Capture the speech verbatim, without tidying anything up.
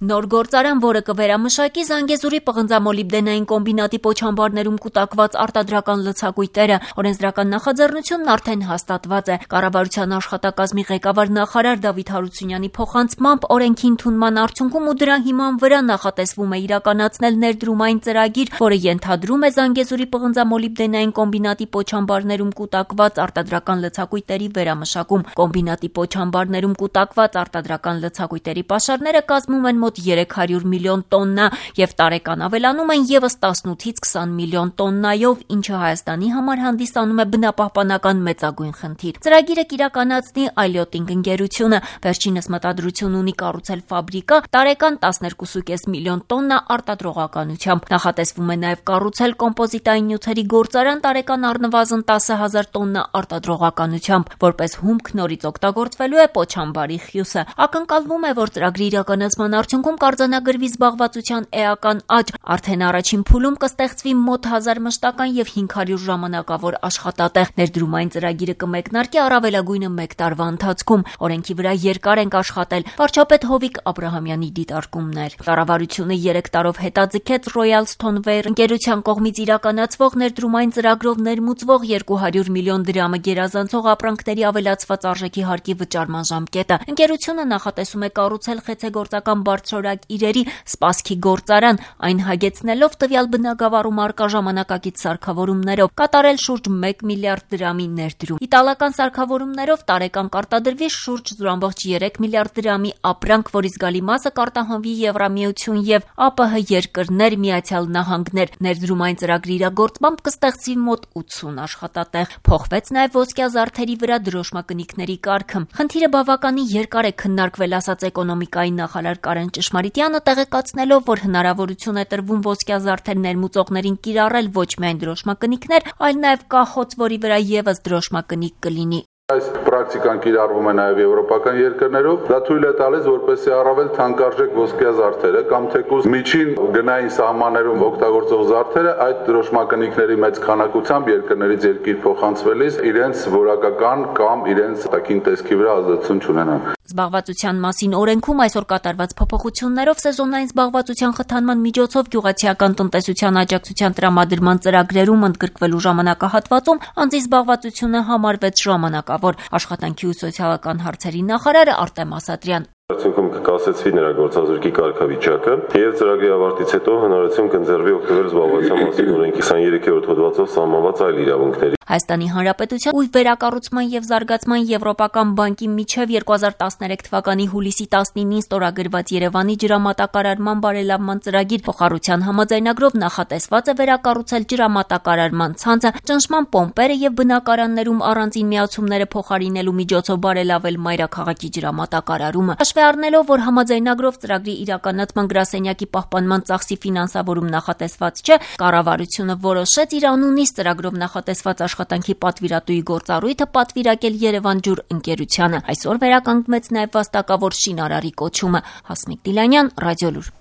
Նոր գործարան, որը կվերամշակի Զանգեզուրի պղնձամոլիբդենային կոմբինատի պոչամբարներում կուտակված արտադրական լցակույտերը, օրենսդրական նախաձեռնությունն արդեն հաստատված է։ Կառավարության աշխատակազմի ղեկավար նախարար Դավիթ Հարությունյանի փոխանցմամբ օրենքի ընդունման արդյունքում ու դրա հիման վրա նախատեսվում է իրականացնել ներդրումային ծրագիր, որը ենթադրում է Զանգեզուրի պղնձամոլիբդենային կոմբինատի պոչամբարներում կուտակված արտադրական լցակույտերի վերամշակում։ Կոմբինատի պոչամբարներում կուտակված արտադրական լցակույտերի պաշարները կազմում են մոտ երեք հարյուր միլիոն տոննա եւ տարեկան ավելանում են եւս տասնութից քսան միլիոն տոննայով, ինչը Հայաստանի համար հանդիսանում է բնապահպանական մեծագույն խնդիր։ Ծրագիրը կիրականացնի Այլյոտինգ ընկերությունը, վերջինս մտադրություն ունի կառուցել ֆաբրիկա տարեկան տասներկու կես միլիոն տոննա արտադրողականությամբ։ Նախատեսվում է նաեւ կառուցել կոմպոզիտային նյութերի գործարան տարեկան առնվազն տասը հազար տոննա արտադրողականությամբ, որպես հումք նորից օգտագործվելու է պոչամբարի խյուսը։ Ակնկալվում է, որ ծրագրի իրականացման արդյունքում կարձանագրվի զբաղվածության էական աճ, արդեն առաջին փուլում կստեղծվի մոտ հազար մշտական եւ հինգ հարյուր ժամանակավոր աշխատատեղ։ Ներդրումային ծրագիրը կմեկնարկի առավելագույնը մեկ տարվա ընթացքում։ Օրենքի վրա երկար ենք աշխատել, վարչապետ Հովիկ Աբրահամյանի դիտարկումներ։ Կառավարությունը երեք տարով հետաձգեց Royal Stoneware ընկերության կողմից իրականացվող ներդրումային ծրագրով ներմուծվող երկու հարյուր միլիոն դրամը գերազանցող ապրանքների ավելացված արժեքի հարկի վճարման ժամկետը։ Ընկերությունը նախատեսում է կառուցել խեցեգործական բարձրորակ իրերի սպասքի գործարան, այն հագեցնելով տվյալ բնագավառում առկա ժամանակակից սարքավորումներով, կատարել շուրջ մեկ միլիարդ դրամի ներդրում։ Իտալական սարքավորումներով տարեկան կարտադրվի շուրջ զուր ամբողջ երեք միլիարդ դրամի ապրանք, որի զգալի մասը կարտահանվի Եվրամիություն եւ ԱՊՀ երկրներ, Միացյալ Նահանգներ։ Ներդրումային ծրագրի իրագործմամբ կստեղծվի մոտ ութսուն աշխատատեղ։ Փոխվեց նաեւ ոսկյա զարդերի վրա դրոշմակնիկների կարգը։ Խնդիրը բավականին երկար է քննարկվել, ասաց էկոնոմիկայի նախարար Կարեն Ճշմարիտյանը, տեղեկացնելով, որ հնարավորություն է տրվում ոսկյա զարդեր ներմուծողներին կիրառել ոչ միայն դրոշմակնիկներ, այլ նաեւ կախոց, որի վրա եւս դրոշմակնիկ կլինի։ Այս պրակտիկան կիրառվում է նաև եվրոպական երկրներով, դա թույլ է տալիս, որպեսզի առավել թանկարժեք ոսկյա զարդերը կամ թեկուզ միջին գնային սահմաններում օգտագործող զարդերը այդ դրոշմակնիկների մեծ քանակությամբ երկրներից երկիր փոխանցվելիս իրենց որակական կամ իրենց տակին տեսքի վրա ազդեցություն չունենան։ Զբաղվածության մասին օրենքում այսօր կատարված փոփոխություններով սեզոնային զբաղվածության խթանման միջոցով գյուղացիական տնտեսության աջակցության տրամադրման ծրագրերում ընդգրկվելու ժամանակահատվածում անձի զբաղվածությունը համարվեց ժամանակավոր։ Աշխատանքի ու սոցիալական հարցերի նախարար Արտեմ Ասատրյան։ Արդյունքում կկասեցվի նրա գործազուրկի կարգավիճակը եւ ծրագրի ավարտից հետո հնարավորություն կընձեռվի օգտվել զբաղվածության մասին օրենքի քսաներկերորդ հոդվածով սահմանված այլ իրավունքների։ Հայաստանի Հանրապետության ու վերակառուցման եւ զարգացման Եվրոպական բանկի միջև երկու հազար տասներեք թվականի հուլիսի տասնինին ստորագրված Երևանի ջրամատակարարման բարելավման ծրագիր փոխառության համաձայնագրով նախատեսված է վերակառուցել ջրամատակարարման ցանցը, ճնշման պոմպերը եւ բնակարաններում առանձին միացումները փոխարինելու միջոցով բարելավել մայրաքաղաքի ջրամատակարարումը։ Հաշվի առնելով, որ համաձայնագրով ծրագրի իրականացման գրասենյակի պահպանման ծախսի ֆինանսավորում նախատեսված չէ, կառավարությունը որոշեց իր անունից ծրագրով նախատեսված աշխատանքի պատվիրատուի գործառույթը պատվիրակել Երևան ջուր ընկերությանը։ Այսօր վերականգնվեց նաև վաստակավոր շինարարի կոչումը։ Հասմիկ Դիլանյան, Ռադիոլուր։